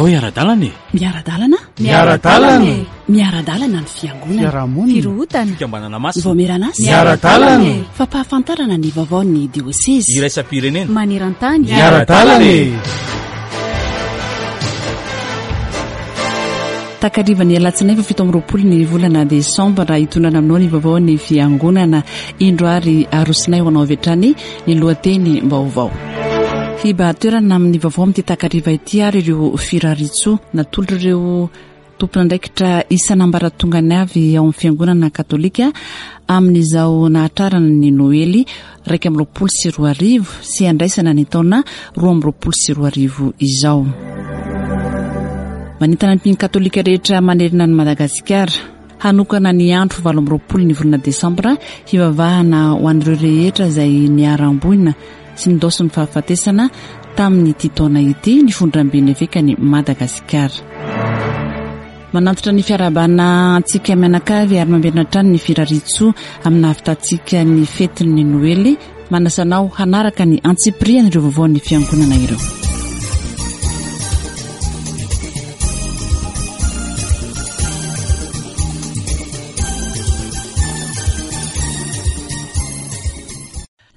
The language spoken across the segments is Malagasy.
Andao hiara-dalana e! Miara-dalana? Miara-dalana e! Miara-dalana ny fiangonana. Fiarahamonina. Firohotana. Fikambanana masina. Vaomieran'asa. Miara-dalana e! Fampahafantarana ny vaovaon'ny diosezy. Iraisam-pirenena. Maneran-tany. Miara-dalana e! Takarivan'ny alatsinainy faha 27 ny volana desambra hitondrana aminao ny vaovaon'ny fiangonana. Indro ary arosinay ho anao avy hatrany ny lohateny vaovao. Hibahan-toerana amin'ny vaovao amin'ity takariva ity ary ireo firariantsoa natolotr'ireo tompon'andraikitra isan'ambaratongany avy ao amin'ny fiangonana katolika amin'izao nahatrarana ny Noely 2021 sy handraisana ny taona 2022 izao. Manentana ny mpino katolika rehetra manerana an'i Madagasikara. Hanokana ny andro 28 ny volana desambra hivavahana ho an'ireo rehetra izay niharam-boina sy nindaosin'ny fahafatesana tamin'ity taona ity ny Fondramben'ny Evekan'i Madagasikara. Manantitra ny fiarahabana antsika mianakavy ary mamerina hatrany ny firariantsoa amin'ny nahavitantsika ny fetin'ny Noely. Manasa anao hanaraka ny antsipirian'ireo vaovaon'ny fiangonana ireo.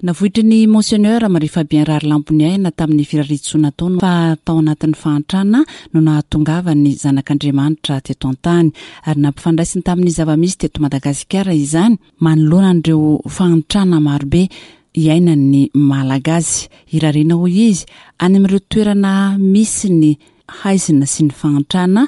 Navoitry ny Monseigneur Marie Fabien Raharilamponiaina tamin'ny firariantsoa nataony fa tao anatin'ny fahantrana no nahatongavan'ny Zanak'Andriamanitra teto an-tany ary nampifandraisiny tamin'ny zava-misy teto Madagasikara izany manoloana an'ireo fahantrana marobe iainan'ny Malagasy. Irariana hoy izy, any amin'ireo toerana misy ny haizina sy ny fahantrana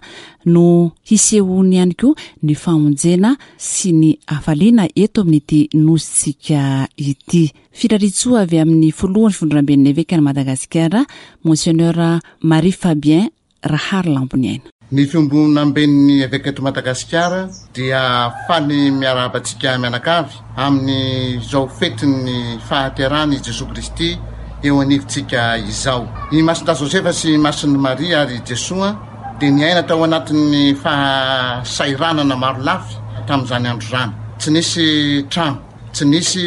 no hisehoany ihany koa ny famonjena sy ny hafaliana eto amin'ity nosintsika ity. Firariantsoa avy amin'ny filohan'ny Fivondronamben'ny Evekan'i Madagasikara, Monseigneur Marie Fabien Raharilamboniaina. Ny Fiombonamben'ny Eveka eto Madagasikara dia faly miarahaba antsika mianakavy amin'izao fetin'ny fahaterahan'i Jesoa Kristy eo anivontsika izao. I Masindahy Josefa sy i Masin'i Maria ary i Jesoa dia niaina tao anatin'ny fahasahiranana maro lafy tamin'izany andro izany. Tsy nisy trano, tsy nisy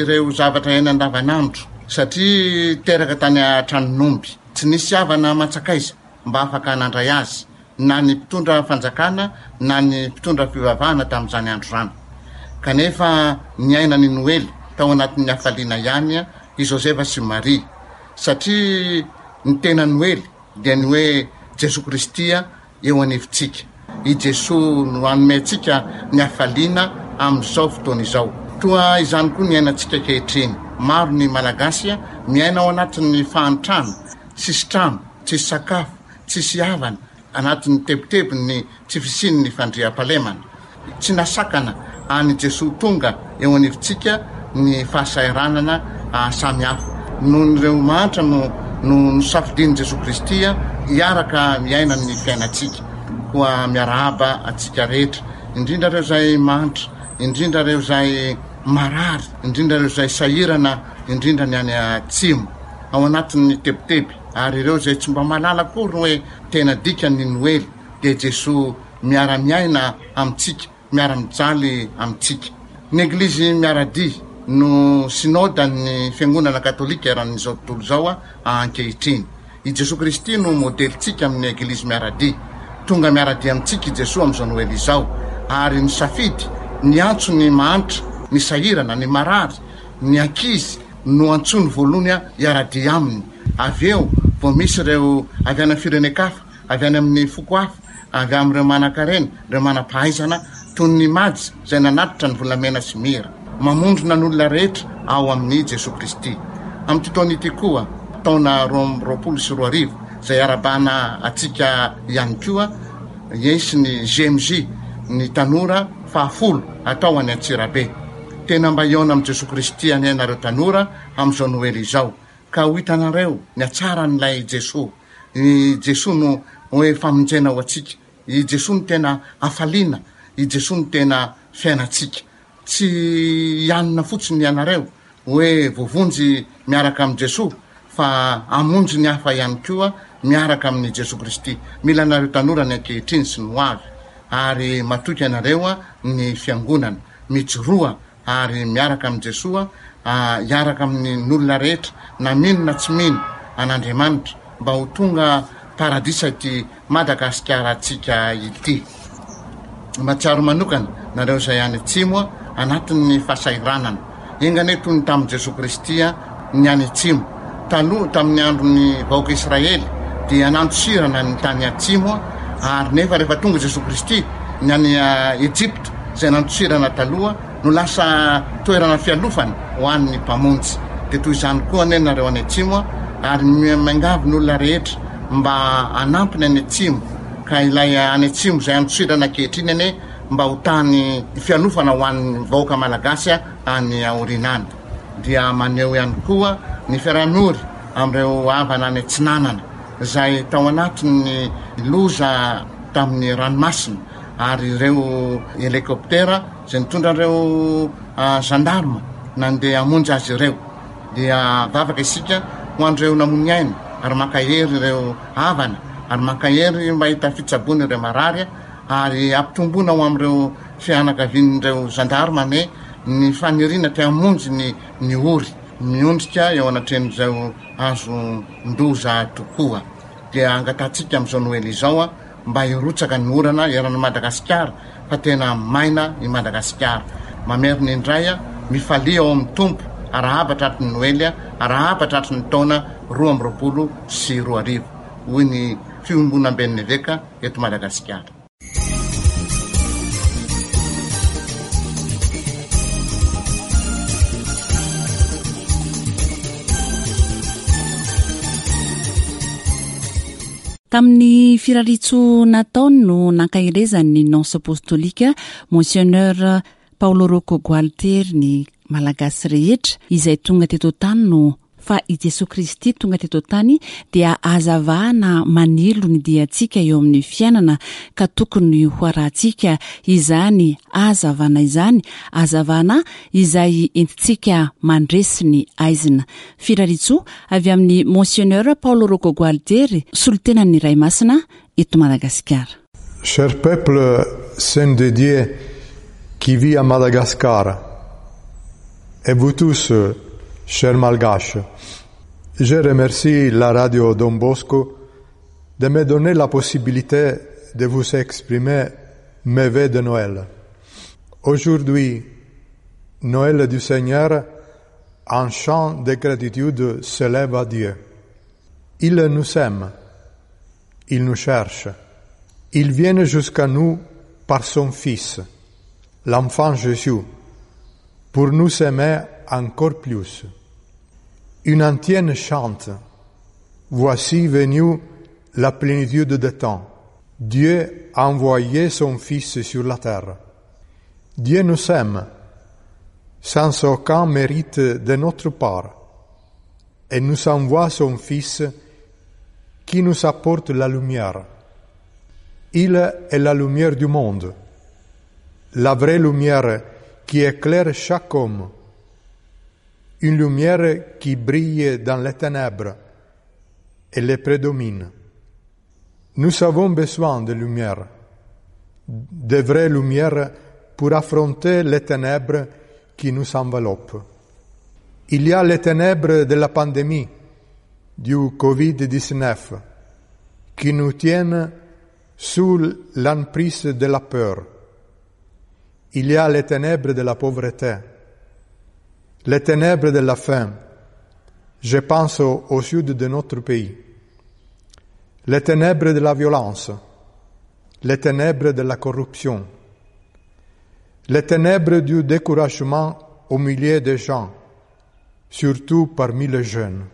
ireo zavatra iainana andavanandro satria teraka tany an-tranon'omby. Tsy nisy havana aman-tsakaiza mba afaka nandray azy, na ny mpitondra fanjakana na ny mpitondra fivavahana tamin'izany andro izany. Kanefa niaina ny Noely tao anatin'ny hafaliana ihany i Josefa sy Maria, satria ny tena Noely dia ny hoe Jesoa Kristy eo anivontsika. I Jesoa no hanome antsika ny hafaliana amin'izao fotoana izao. Toa izany koa ny iainantsika ankehitriny. Maro ny Malagasy miaina ao anatin'ny fahantrana, tsisy trano, tsisy sakafo, tsisy havana, anatin'ny tebitebin'ny tsy fisian'ny fandriampahalemana. Tsy nasakana an'i Jesoa tonga eo anivontsika ny fahasahiranana samihafa. Noho ireo mahantra no no nosafidian'i Jesoa Kristy hiaraka miaina ny fiainantsika. Koa miarahaba antsika rehetra, indrindra ireo izay mahantra, indrindra ireo izay marary, indrindra ireo izay sahirana, indrindra ny any atsimo, ao anatin'ny tebiteby, ary ireo izay tsy mba mahalala akory hoe tena dikan'ny Noely dia Jesoa miara-miaina amintsika, miara-mijaly amintsika. Ny Eglizy miara-dia no Synodan'ny Fiangonana Katolika eran'izao tontolo izao ankehitriny. I Jesoa Kristy no modelintsika amin'ny Eglizy miara-dia. Tonga miara-dia amintsika i Jesoa amin'izao Noely izao, ary nisafidy niantso ny mahantra, ny sahirana, ny marary, ny ankizy no antsoiny voalohany hiara-dia aminy. Avy eo vao misy ireo avy any amin'ny firenen-kafa avy any amin'ny foko hafa, avy amin'ireo manankarena, ireo manam-pahaizana, toy ny Majy izay nanatitra ny volamena sy mira. Mamondrona ny olona rehetra ao amin'i Jesoa Kristy. Amin'ity taona ity koa, taona 2022, izay iarahabana antsika ihany koa, hisy ny GMJ, ny tanora fahafolo atao any Antsirabe. Tena mba hihaona amin'i Jesoa Kristy anie ianareo tanora amin'izao Noely izao, ka ho hitanareo ny hatsaran'ilay Jesoa. I Jesoa no hoe famonjena ho antsika. I Jesoa no tena hafaliana. I Jesoa no tena fiainantsika. Tsy hianina fotsiny ianareo hoe voavonjy miaraka amin'i Jesoa fa hamonjy ny hafa ihany koa miaraka amin'i Jesoa Kristy. Mila anareo tanora ny ankehitriny sy ny ho avy. Ary matoky anareo ny Fiangonana. Mijoroa ary miaraka amin'i Jesoa hiaraka amin'ny olona rehetra na mino na tsy mino an'Andriamanitra mba ho tonga paradisa ity Madagasikarantsika ity. Mahatsiaro manokana nareo izay any atsimo anatin'ny fahasahiranana. Enga anie toy ny tamin'i Jesoa Kristy ny any atsimo. Taloha tamin'ny andron'ny vahoaka Israely dia nandosirana ny tany atsimo ary nefa rehefa tonga Jesoa Kristy ny any Egypta izay nandosirana taloha no lasa toerana fialofana ho an'ny Mpamonjy. Dia toy izany koa anie nareo any atsimo ary miangavy ny olona rehetra mba hanampy ny any atsimo ka ilay any atsimo izay andosirana ankehitriny anie mba ho tany fialofana ho an'ny vahoaka malagasy any aoriana any. Dia maneho ihany koa ny fiaraha-miory amin'ireo havana any atsinanana izay tao anatin'ny loza tamin'ny ranomasina ary ireo helicoptera izay nitondra ireo gendarme nandeha hamonjy azy ireo. Dia mivavaka isika ho an'ireo namoy aina ary mankahery ireo havana ary mankahery mba hahita fitsaboana ireo marary ary ampitomboina ho amin'ireo fianakavian'ireo gendarme anie ny faniriana te hamonjy ny ny ory miondrika eo anatrehan'izao azon-doza tokoa. Dia angatahantsika amin'izao Noely izao mba hirotsaka ny orana eran'i Madagasikara fa tena maina i Madagasikara. Mamerina indray, mifalia ao amin'ny Tompo, arahaba tratry ny Noely, arahaba tratry ny taona 2022, hoy ny Fiombonamben'ny Eveka eto Madagasikara. Tamin'ny firariantsoa nataony no nankaherezany ny Nonce Apostolika Monseigneur Paolo Rocco Gualtieri ny Malagasy rehetra izay tonga teto an-tany no fa i Jesoa Kristy tonga teto an-tany dia hazavana manilo ny diantsika eo amin'ny fiainana ka tokony ho arahantsika izany hazavana izany, hazavana izay entintsika mandresy ny haizina. Firariantsoa avy amin'i Monseigneur Paolo Rocco Gualtieri, solontenan'ny Ray Masina eto Madagasikara. Cher peuple saint de Dieu qui vit à Madagascar, et vous tous, chers malgaches, je remercie la radio Don Bosco de me donner la possibilité de vous exprimer mes vœux de Noël. Aujourd'hui, Noël du Seigneur, un chant de gratitude s'élève à Dieu. Il nous aime, il nous cherche, il vient jusqu'à nous par son Fils, l'enfant Jésus, pour nous aimer encore plus. Une antienne chante, Voici venue la plénitude des temps. Dieu a envoyé son Fils sur la terre. Dieu nous aime, sans aucun mérite de notre part, et nous envoie son Fils qui nous apporte la lumière. Il est la lumière du monde, la vraie lumière qui éclaire chaque homme, une lumière qui brille dans les ténèbres et les prédomine. Nous avons besoin de lumière, de vraies lumières pour affronter les ténèbres qui nous enveloppent. Il y a les ténèbres de la pandémie du Covid-19 qui nous tiennent sous l'emprise de la peur. Il y a les ténèbres de la pauvreté, les ténèbres de la faim. Je pense au sud de notre pays. Les ténèbres de la violence, les ténèbres de la corruption, les ténèbres du découragement au milieu des gens, surtout parmi les jeunes.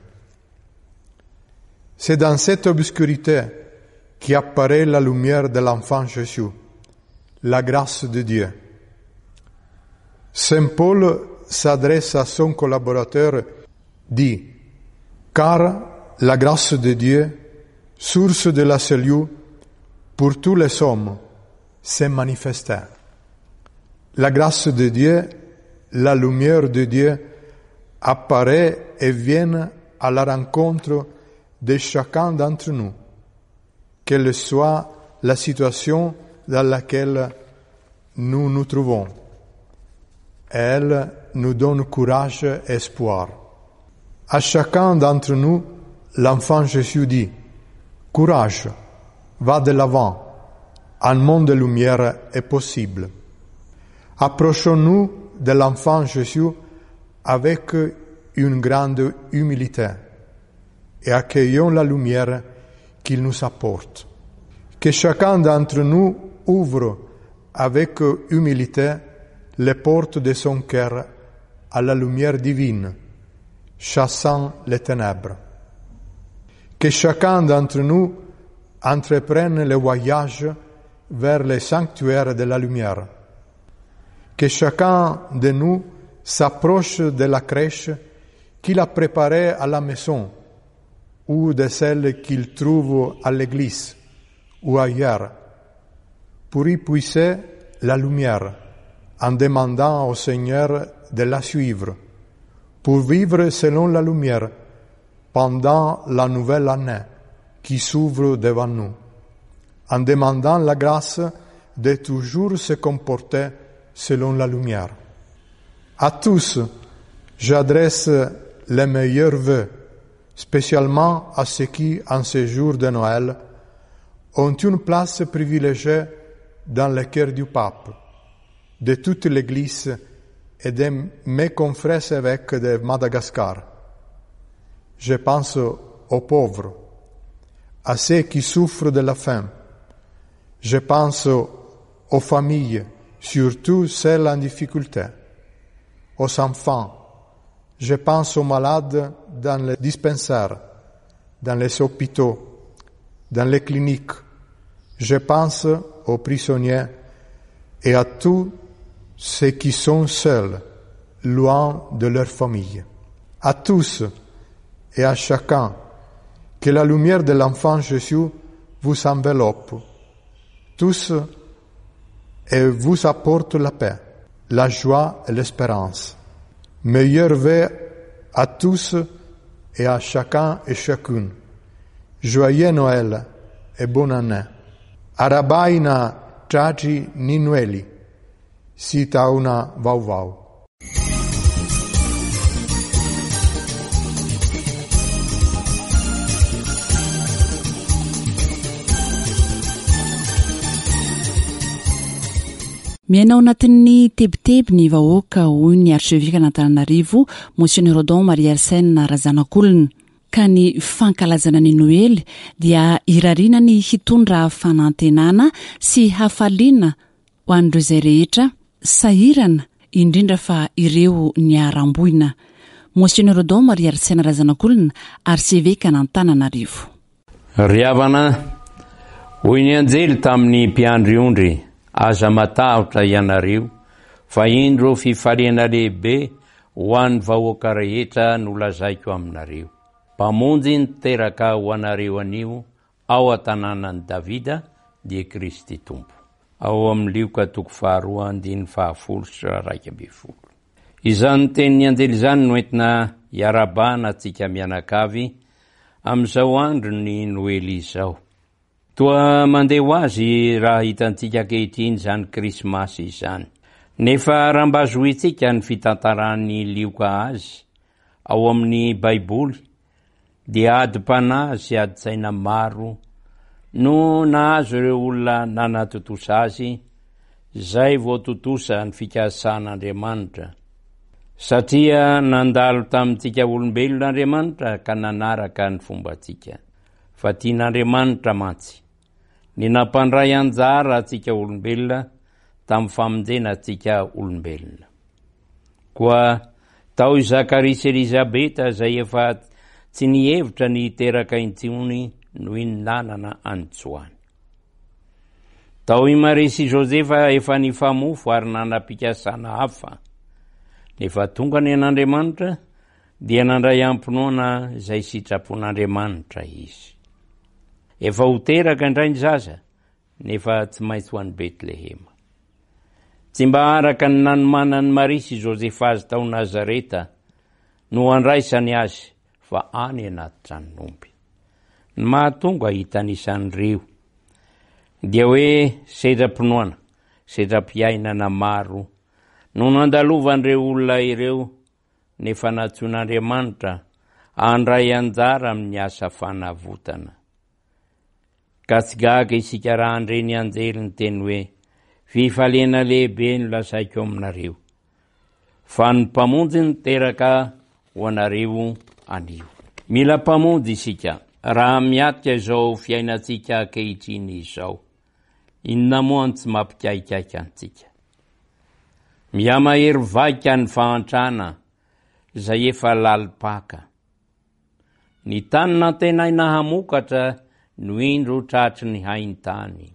C'est dans cette obscurité qui apparaît la lumière de l'enfant Jésus, la grâce de Dieu. Saint Paul s'adresse à son collaborateur, dit, Car la grâce de Dieu, source de la salut pour tous les hommes, s'est manifestée. La grâce de Dieu, la lumière de Dieu apparaît et vient à la rencontre de chacun d'entre nous, quelle soit la situation dans laquelle nous nous trouvons. Elle nous donne courage et espoir. À chacun d'entre nous, l'enfant Jésus dit, Courage, va de l'avant, un monde de lumière est possible. Approchons-nous de l'enfant Jésus avec une grande humilité et accueillons la lumière qu'il nous apporte. Que chacun d'entre nous ouvre avec humilité les portes de son cœur à la lumière divine, chassant les ténèbres. Que chacun d'entre nous entreprenne le voyage vers les sanctuaires de la lumière. Que chacun de nous s'approche de la crèche qu'il a préparée à la maison ou de celle qu'il trouve à l'église ou ailleurs, pour y puiser la lumière en demandant au Seigneur de la suivre, pour vivre selon la lumière pendant la nouvelle année qui s'ouvre devant nous, en demandant la grâce de toujours se comporter selon la lumière. À tous, j'adresse les meilleurs vœux, spécialement à ceux qui, en ce jour de Noël, ont une place privilégiée dans le cœur du pape, de toute l'Église et de mes confrères évêques de Madagascar. Je pense aux pauvres, à ceux qui souffrent de la faim. Je pense aux familles, surtout celles en difficulté, aux enfants. Je pense aux malades dans les dispensaires, dans les hôpitaux, dans les cliniques. Je pense aux prisonniers et à tous ceux qui sont seuls, loin de leur famille. À tous et à chacun, que la lumière de l'enfant Jésus vous enveloppe, tous et vous apporte la paix, la joie et l'espérance. Meilleurs vœux à tous et à chacun et chacune. Joyeux Noël et bonne année. Arahabaina tratry ny Noely sy taona vaovao. Miaina ao anatin'ny tebiteby ny vahoaka, hoy ny arsevekan'Antananarivo, Monseigneur Odon Marie Arsène Razanakolona. Ka ny fankalazana ny Noely dia irariana ny hitondra fanantenana sy hafaliana ho an'ireo izay rehetra sahirana, indrindra fa ireo niharam-boina. Monseigneur Odon Marie Arsène Razanakolona, Arsevekan'Antananarivo. Ry havana, hoy ny anjely tamin'ny mpiandry ondry, aza matahotra ianareo, fa indro fifaliana lehibe ho an'ny vahoaka rehetra no lazaiko aminareo. Mpamonjy niteraka ho anareo anio ao an-tanànan'i Davida, dia Kristy Tompo. Ao amin'ny Lioka toko faharoa andininy fahafolo sy 11. Izany tenin'ny anjely izany no entina hiarahabana antsika mianakavy amin'izao andron'ny Noely izao. Toa mandeha ho azy raha hitantsika ankehitriny izany Krismasy izany. Nefa raha mba zohintsika ny fitantaran'i Lioka azy ao amin'ny Baiboly dia adim-panahy sy adin-tsaina maro no nahazo ireo olona nanatontosa azy izay vao tontosa ny fikasan'Andriamanitra. Satria nandalo tamintsika olombelona Andriamanitra ka nanaraka ny fombantsika. Fa tian'Andriamanitra mantsy ny nampandray anjara antsika olombelona tamin'ny famonjena antsika olombelona. Koa tao i Zakaria sy Elizabeta izay efa tsy nihevitra ny hiteraka intsony no iny nanana an'i Joany. Tao i Maria sy Josefa efa nifamofo ary nanam-pikasana hafa. Nefa tonga ny an'Andriamanitra dia nandray am-pinoana izay sitrapon'Andriamanitra izy. Efa ho teraka indray ny zaza, nefa tsy maintsy ho any Betlehema. Tsy mba araka ny nanomanan'i Maria sy Josefa azy tao Nazareta no handraisany azy fa any anaty tranon'omby. Ny mahatonga hitanisan'ireo dia hoe sedram-pinoana, sedram-piainana maro no nandalovan'ireo olona ireo nefa nantsoin'Andriamanitra handray anjara amin'ny asa fanavotana. Ka tsy gaga isika raha handre ny anjely niteny hoe, Fifaliana lehibe no lazaiko aminareo, fa ny Mpamonjy niteraka ho anareo anio. Mila Mpamonjy isika raha miatrika izao fiainantsika ankehitriny izao. Inona moa no tsy mampikaikaika antsika? Mihamahery vaika ny fahantrana izay efa lalim-paka. Ny tany nantenaina hamokatra no indro tratry ny hain-tany.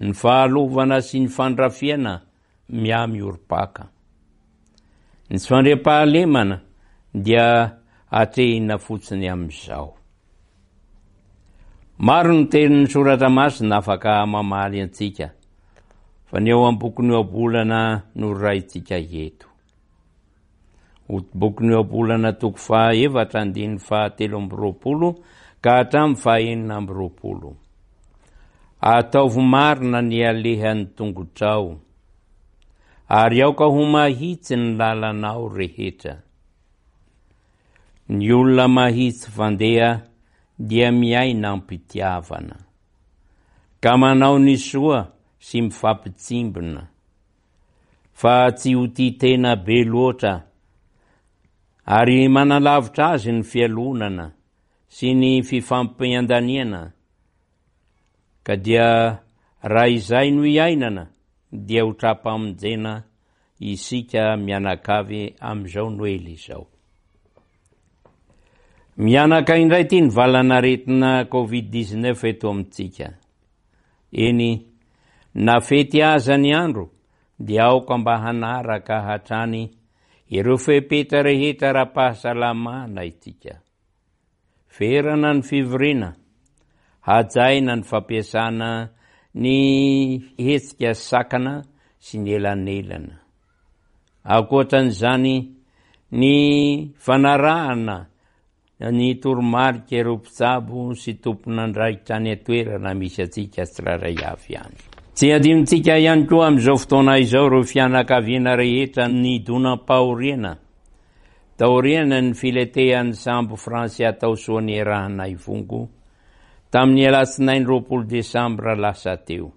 Ny fahalovana sy ny fandrafiana mihamiorim-paka. Ny tsy fandriampahalemana dia atrehina fotsiny amin'izao. Maro ny tenin'ny soratra masina afaka mamaly antsika, fa ny ao am-bokin'ny ohabolana no raintsika eto. Bokin'ny Ohabolana toko fahaefatra andininy fahatelo amby 20 ka hatramin'ny faha-26. Ataovy marina ny alehan'ny tongotrao, ary aoka ho mahitsy ny lalanao rehetra. Ny olona mahitsy fandeha dia miaina am-pitiavana, ka manao ny soa sy mifampitsimbina. fa tsy ho tia tena be loatra, ary manalavitra azy ny fialonana sy ny fifampiandaniana, ka dia raha izay no iainana dia ho tra-pamonjena isika mianakavy amin'izao Noely izao. Mihanaka indray ity ny valan'aretina Covid 19 eto amintsika. Eny, na fety aza ny andro dia aoka mba hanaraka hatrany ireo fepetra rehetra ara-pahasalamana isika. Ferana ny fivoriana, hajaina ny fampiasana ny hetsika sakana sy ny elanelana. Ankoatran'izany, ny fanarahana ny toromarika ireo mpitsabo sy tompon'andraikitra any an-toerana misy antsika tsirairay avy any. Tsy adinontsika ihany koa amin'izao fotoana izao ireo fianakaviana rehetra nidonam-pahoriana taorian'ny filetehan'ny sambo Francia tao Soanierana Ivongo tamin'ny alatsinainy 20 desambra lasa teo.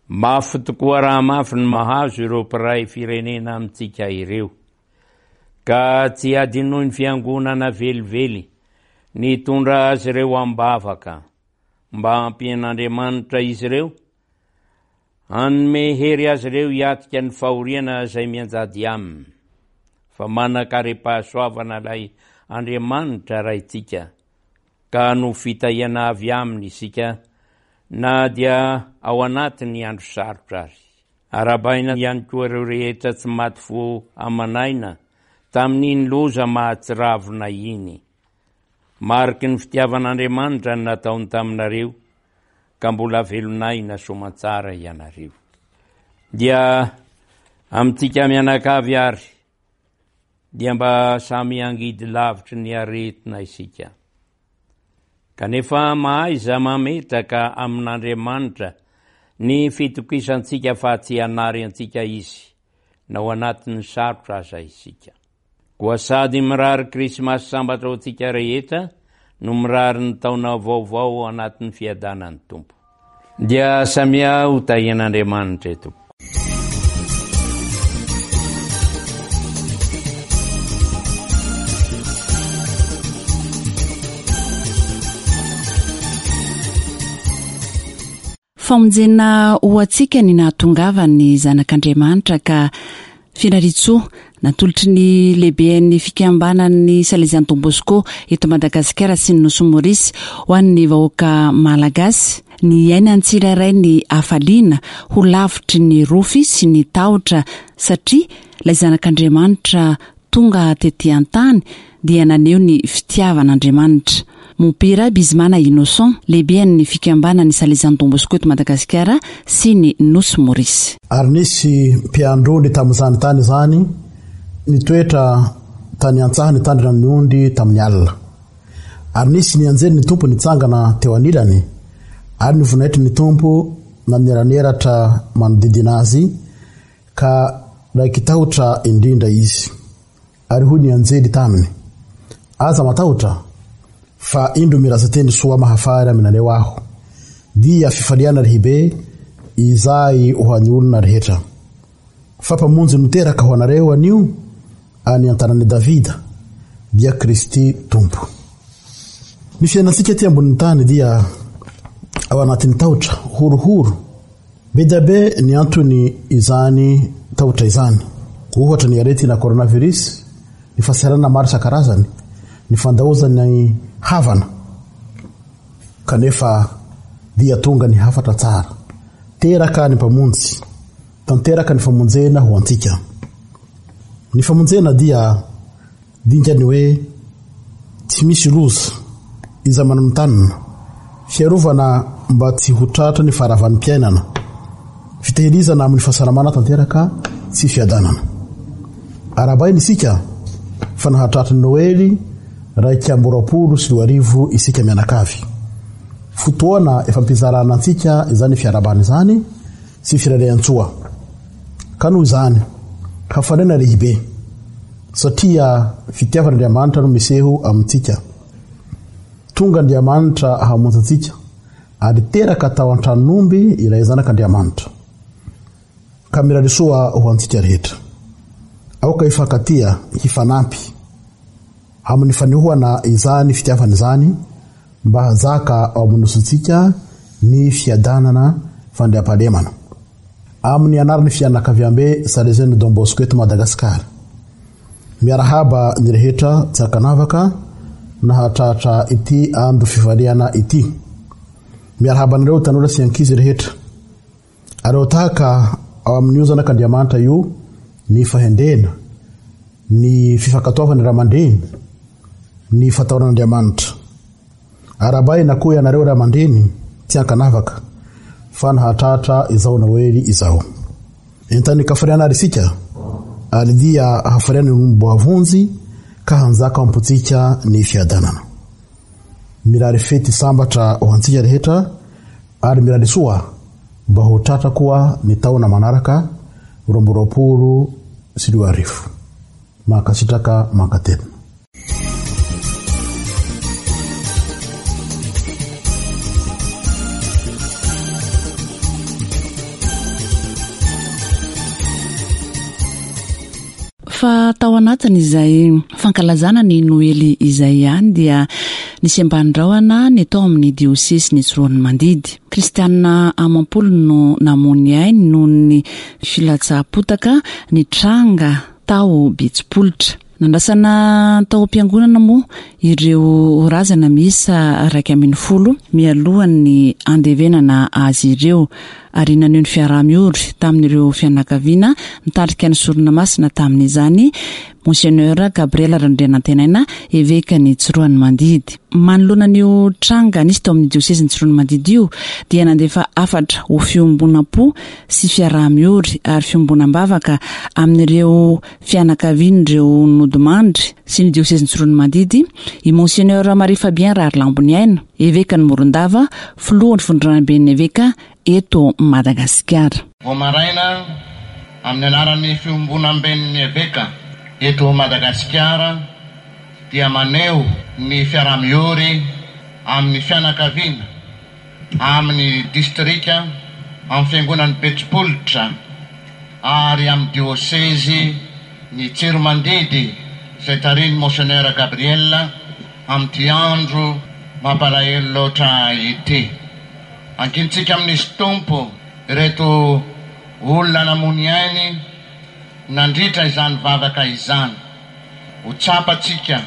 Mafy tokoa raha mafy ny mahazo ireo mpiray firenena amintsika ireo. Ka tsy hadinoin'ny Fiangonana velively ny hitondra azy ireo am-bavaka mba hampian'Andriamanitra izy ireo, hanome hery azy ireo hiatrika ny fahoriana izay mianjady aminy, fa manan-karem-pahasoavana ilay Andriamanitra Raintsika, ka hanovo fitahiana avy aminy isika na dia ao anatin'ny andro sarotra ary. Arahabaina ihany koa ireo rehetra tsy maty fo aman'aina tamin'iny loza mahatsiravina iny. Mariky ny fitiavan'Andriamanitra ny nataony taminareo ka mbola velon'aina soamantsara ianareo. Dia amintsika mianakavy ary dia mba samy hangidy lavitry ny aretina isika. Kanefa mahaiza mametraka amin'Andriamanitra ny fitokisantsika fa tsy hanary antsika Izy na ao anatin'ny sarotra aza isika. Koa sady mirary Krismasy sambatra ho antsika rehetra no mirary ny taona vaovao ao anatin'ny fiadanan'ny Tompo. Dia samia ho tahian'Andriamanitra e tompoko. Famonjena ho antsika ny nahatongavan'ny Zanak'Andriamanitra ka Firariantsoa, natolotry ny lehiben'ny fikambanan'ny Salesian'i Don Bosco eto Madagasikara sy ny Nosy Maurice ho an'ny vahoaka Malagasy, ny hiainan'ny tsirairay ny hafaliana ho lavitry ny rofy sy ny tahotra satria ilay Zanak'Andriamanitra tonga tety an-tany dia naneho ny fitiavan'Andriamanitra. Mompera Bizimana Innocent, lehiben'ny fikambanan'ny Salesian'i Don Bosco eto Madagasikara sy ny Nosy Maurice. Ary nisy mpiandry ondry tamin'izany tany izany nitoetra tany an-tsaha nitandrina ny ondry tamin'ny alina. Ary nisy ny anjelin'ny Tompo nitsangana teo anilany, ary ny voninahitry ny Tompo naneraneratra manodidina azy, ka raiki-tahotra indrindra izy. Ary hoy ny anjely taminy, Aza matahotra! Fa indro milaza teny soa mahafaly aminareo aho, dia fifaliana lehibe izay ho an'ny olona rehetra. Fa Mpamonjy no teraka ho anareo anio any an-tanàn'i Davida, dia Kristy Tompo. Ny fiainantsika aty ambonin'ny tany dia ao anatin'ny tahotra, horohoro. Be dia be ny antony izany tahotra izany. Ohatra ny aretina coronavirus, ny fahasahiranana maro isan-karazany, ny fandaozana ny havana. Kanefa dia tonga ny hafatra tsara. Teraka ny Mpamonjy. Tanteraka ny famonjena ho antsika. Ny famonjena dia dingan'ny hoe tsy misy loza, iza manontanina, fiarovana mba tsy ho tratra ny faharavan'ny-piainana, fitehirizana amin'ny fahasalamana tanteraka sy fiadanana. Arahabaina isika fa nahatratra ny Noely 2021 isika mianakavy. Fotoana efa ampizarana antsika izany fiarahabana izany sy firairan-tsoa. Ka noho izany, hafaliana lehibe, satria fitiavan'Andriamanitra no miseho amintsika. Tonga Andriamanitra hamonjy antsika, ary teraka tao an-tranon'omby ilay Zanak'Andriamanitra. Ka mirary soa ho antsika rehetra. Aoka hifankatia, hifanampy, amin'ny fanehoana izany fitiavana izany, Mba hanjaka ao amin'ny nosintsika ny fiadanana fandriampahalemana. Amin'ny anaran'ny fianakaviambe Salesian'ny Don Bosco eto Madagasikara. Miarahaba ny rehetra tsy ankanavaka nahatratra ity andro fifaliana ity. Miarahaba anareo tanora sy ankizy rehetra. Aleo tahaka ao amin'io zanak'Andriamanitra io ny fahendrena, ny fifankatoavan'ny ray aman-dreny, ny fatahoran'Andriamanitra. Arahabaina koa ianareo ray aman-dreny tsy ankanavaka fa nahatratra izao Noely izao. Entanin-kafaliana ary isika, ary dia hafaliana ny olom-boavonjy ka hanjaka ao am-pontsika ny fiadanana. Mirary fety sambatra ho antsika rehetra ary mirary soa mba ho tratra koa ny taona manaraka 2022. Mankasitraka mankatelina. Fa tao anatin'izay fankalazana ny Noely izay ihany dia nisy ambanin-drahona ny tao amin'ny diosesin'i Tsiroanomandidy. Kristianina amam-polony no namoy ny ainy noho ny filatsaham-potaka nitranga tao Betsipolitra. Nandrasana tao am-piangonana moa ireo razana miisa 11 mialohan'ny handevenana azy ireo ary naneho ny fiaraha-miory tamin'ireo fianakaviana nitarika ny sorona masina tamin'izany Monseigneur Gabriel Randrianantenaina, evekan'i Tsiroanomandidy. Manoloana an'io tranga nisy tao amin'ny diosezin'i Tsiroanomandidy io dia nandefa hafatra ho fiombonam-po sy fiaraha-miory ary fiombonam-bavaka amin'ireo fianakavian'ireo nodimandry sy ny diosezin'i Tsiroanomandidy i Monseigneur Marie Fabien Raharilamboniaina, evekan'i Morondava, filohan'ny Vondronamben'ny Eveka eto Madagasikara. Vao maraina, amin'ny anaran'ny Fiombonamben'ny Eveka eto Madagasikara dia maneho ny fiaraha-miory amin'ny fianakaviana, amin'ny distrika, amin'ny fiangonan'i Betsipolitra ary amin'ny diosezy ny Tsiromandidy izay tarihin'i Monseigneur Gabriel amin'ity andro mampalahelo loatra ity. Ankintsika amin'Izy Tompo ireto olona namoy ainy nandritra izany vavaka izany. Ho tsapantsika,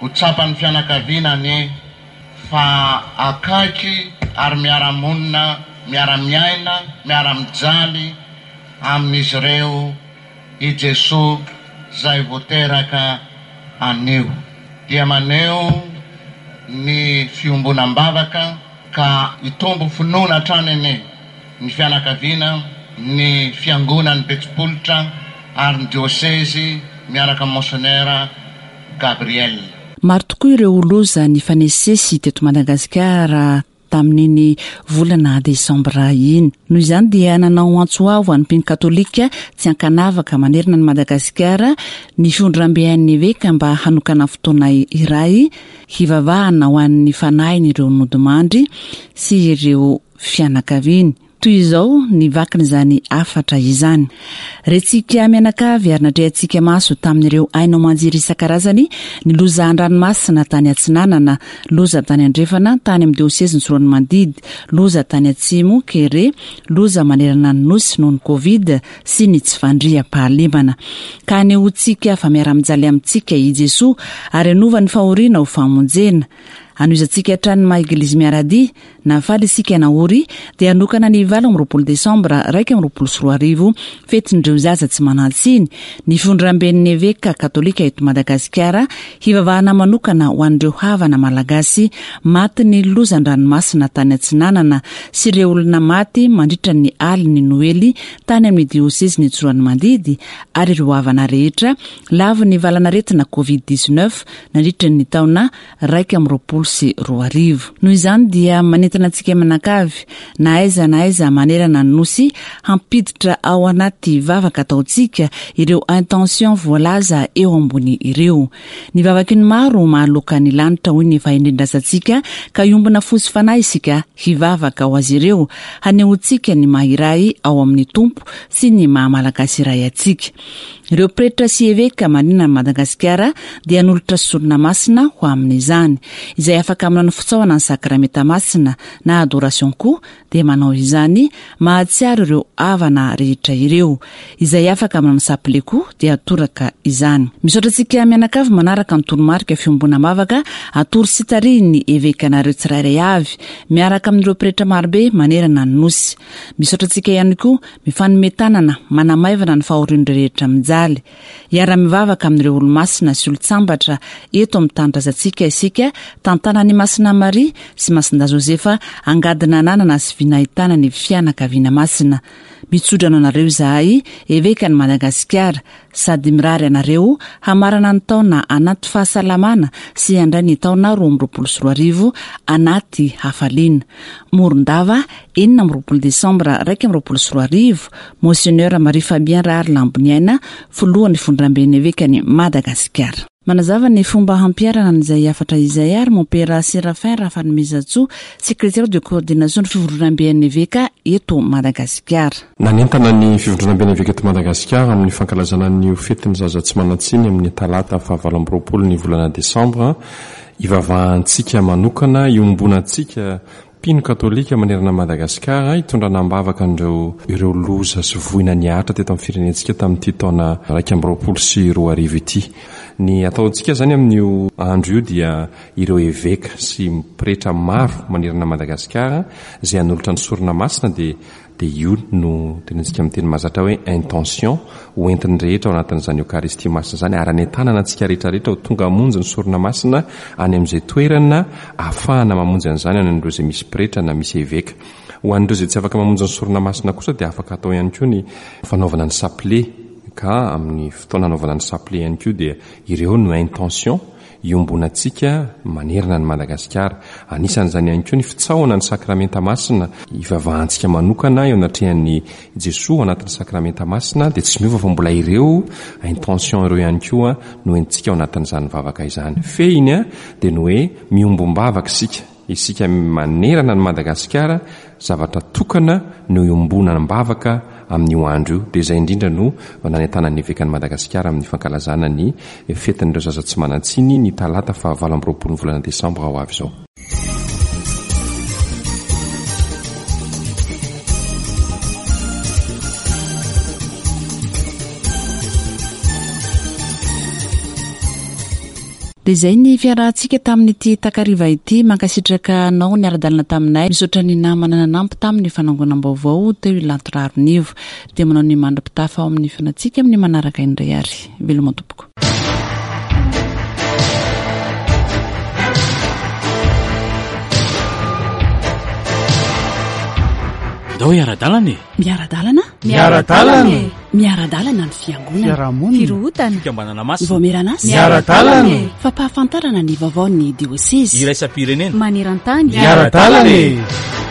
ho tsapan'ny fianakaviana anie fa akaiky ary miara-monina, miara-miaina, miara-mijaly amin'izy ireo i Jesoa izay vao teraka anio. Dia maneho ny fiombonam-bavaka ka hitombo finoana hatrany anie ny fianakaviana, ny fiangonan'i Betsipolitra ary ny diosezy miaraka amin'i Monseigneur Gabriel. Maro tokoa ireo loza nifanesisesy teto Madagasikara. tamin'iny volana desambra iny. Noho izany dia nanao antso avo an'ny mpino katolika tsy ankanavaka manerana an'i Madagasikara ny fihondrambean'ny eveka mba hanokana fotoana iray hivavahana ho an'ny fanahin'ireo nodimandry sy ireo fianakaviany. Toy izao ny vakin'izany hafatra izany. Rentsika mianakavy ary natrehantsika maso tamin'ireo haino aman-jery isan-karazany ny loza an-dranomasina tany Atsinanana, loza tany Andrefana, tany amin'ny diosezin'i Tsiroanomandidy, loza tany Atsimo, Kere, loza manerana ny Nosy noho ny Covid sy ny tsy fandriampahalemana. Ka anehoantsika fa miara-mijaly amintsika i Jesoa ary hanova ny fahoriana ho famonjena. Hanohizantsika hatrany ny maha Eglizy miara-dia Na faly isika na ory dia hanokana ny 28 desambra 2021, fetin'ireo zaza tsy manan-tsiny, ny fivondramben'ny Eveka katolika eto Madagasikara hivavahana manokana ho an'ireo havana malagasy matin'ny loza an-dranomasina tany Atsinanana sy ireo olona maty mandritra ny alin'ny Noely tany amin'ny diosezin'i Tsiroanomandidy ary ireo havana rehetra lavon'ny valanaretina Covid 19 nandritra ny taona 2021. Noho izany dia manentana antsika mianakavy na aiza na aiza manerana ny Nosy hampiditra ao anaty vavaka ataontsika ireo intention voalaza eo ambony ireo. Ny vavaky ny maro mahaloaka ny lanitra hoy ny fahendren-drazantsika ka hiombona fo sy fanahy isika hivavaka ho azy ireo hanehoantsika ny maha iray ao amin'ny Tompo sy ny maha Malagasy iray antsika. Ireo pretra sy eveka manerana an'i Madagasikara dia hanolotra sorona masina ho amin'izany. Izay afaka manao ny fitsaohana ny sakramenta masina na adoration koa dia manao izany mahatsiaro ireo havana rehetra ireo. Izay afaka manao ny sapile koa dia toraka izany. Misaotra antsika mianakavy manaraka ny toromarika fiombonam-bavaka atoro sy tarihin'ny evekanareo tsirairay avy miaraka amin'ireo pretra marobe manerana ny Nosy. Misaotra antsika ihany koa Mifanome tanana, manamaivana ny fahorian'ireo rehetra mijaly. Hiara-mivavaka amin'ireo olomasina sy olon-tsambatra eto amin'ny tanindrazantsika isika, tantanan'i Masina Maria sy Masindahy Josefa angadina ananana sy vina ahitana ny fianakaviana masina. Mitsodrano anareo izahay, Evekan'i Madagasikara, sady mirary anareo hamarana ny taona anaty fahasalamana sy handray ny taona 2022 anaty hafaliana. Morondava, 26 desambra 2021, Monseigneur Marie Fabien Rahary Lamboniaina, Filohan'ny Fondramben'ny Evekan'i Madagasikara. Manazava ny fomba hampiharana an'izay hafatra izay ary Mompera Séraphin Rafanomezantsoa, Secrétaire de coordination ny Fivondronamben'ny Eveka eto Madagasikara. Nanentana ny Fivondronamben'ny Eveka eto Madagasikara amin'ny fankalazana an'io fetin'ny zaza tsy manan-tsiny amin'ny talata faha 28 ny volana desambra hivavahantsika manokana, iombonantsika Mpino katolika manerana an'i Madagasikara hitondrana am-bavaka an'ireo ireo loza sy voina nihatra teto amin'ny firenentsika tamin'ity taona 2021 ity. Ny ataontsika izany amin'io andro io dia ireo eveka sy pretra maro manerana an'i Madagasikara izay hanolotra ny sorona masina dia dia io no tenenintsika amin'ny teny mahazatra hoe intention ho entin'ny rehetra ao anatin'izany Eokaristia Masina izany ary anentanana antsika rehetra rehetra ho tonga hamonjy ny sorona masina any amin'izay toerana ahafahana mamonjy an'izany any amin'ireo izay misy pretra na misy eveka. Ho an'ireo izay tsy afaka mamonjy ny sorona masina kosa dia afaka atao ihany koa ny fanaovana ny sapile ka amin'ny fotoana anaovana ny sapile ihany koa dia ireo no intention iombonantsika manerana an'i Madagasikara. Anisan'izany ihany koa ny fitsaohana ny Sakramenta Masina, ivavahantsika manokana eo anatrehan'i Jesoa ao anatin'ny Sakramenta Masina, dia tsy miova fa mbola ireo intention ireo ihany koa no entintsika ao anatin'izany vavaka izany. Fehiny dia ny hoe miombom-bavaka isika, isika manerana an'i Madagasikara, Zavatra tokana no iombonam-bavaka amin'io andro io, dia izay indrindra no nanentanan'ny Evekan'i Madagasikara amin'ny fankalazana ny fetin'ireo zaza tsy manan-tsiny ny talata faha 28 ny volana desambra ho avy izao. Dia izay ny fiarahantsika tamin'ity takariva ity. Mankasitraka anao niara-dalana taminay. Misaotra ny namana nanampy tamin'ny fanangonam-baovao teo i Lanto Raharinivo. Dia manao ny mandra-pitafa ao amin'ny feonantsika amin'ny manaraka indray ary. Veloma tompoko. Andao hiara-dalana e! Miara-dalana? Miara-dalana e! Miara-dalana ny fiangonana. Fiarahamonina. Firohotana. Fikambanana masina. Ny vaomieran'asa. Miara-dalana e! Fampahafantarana ny vaovaon'ny diosezy. Iraisam-pirenena. Maneran-tany. Miara-dalana e!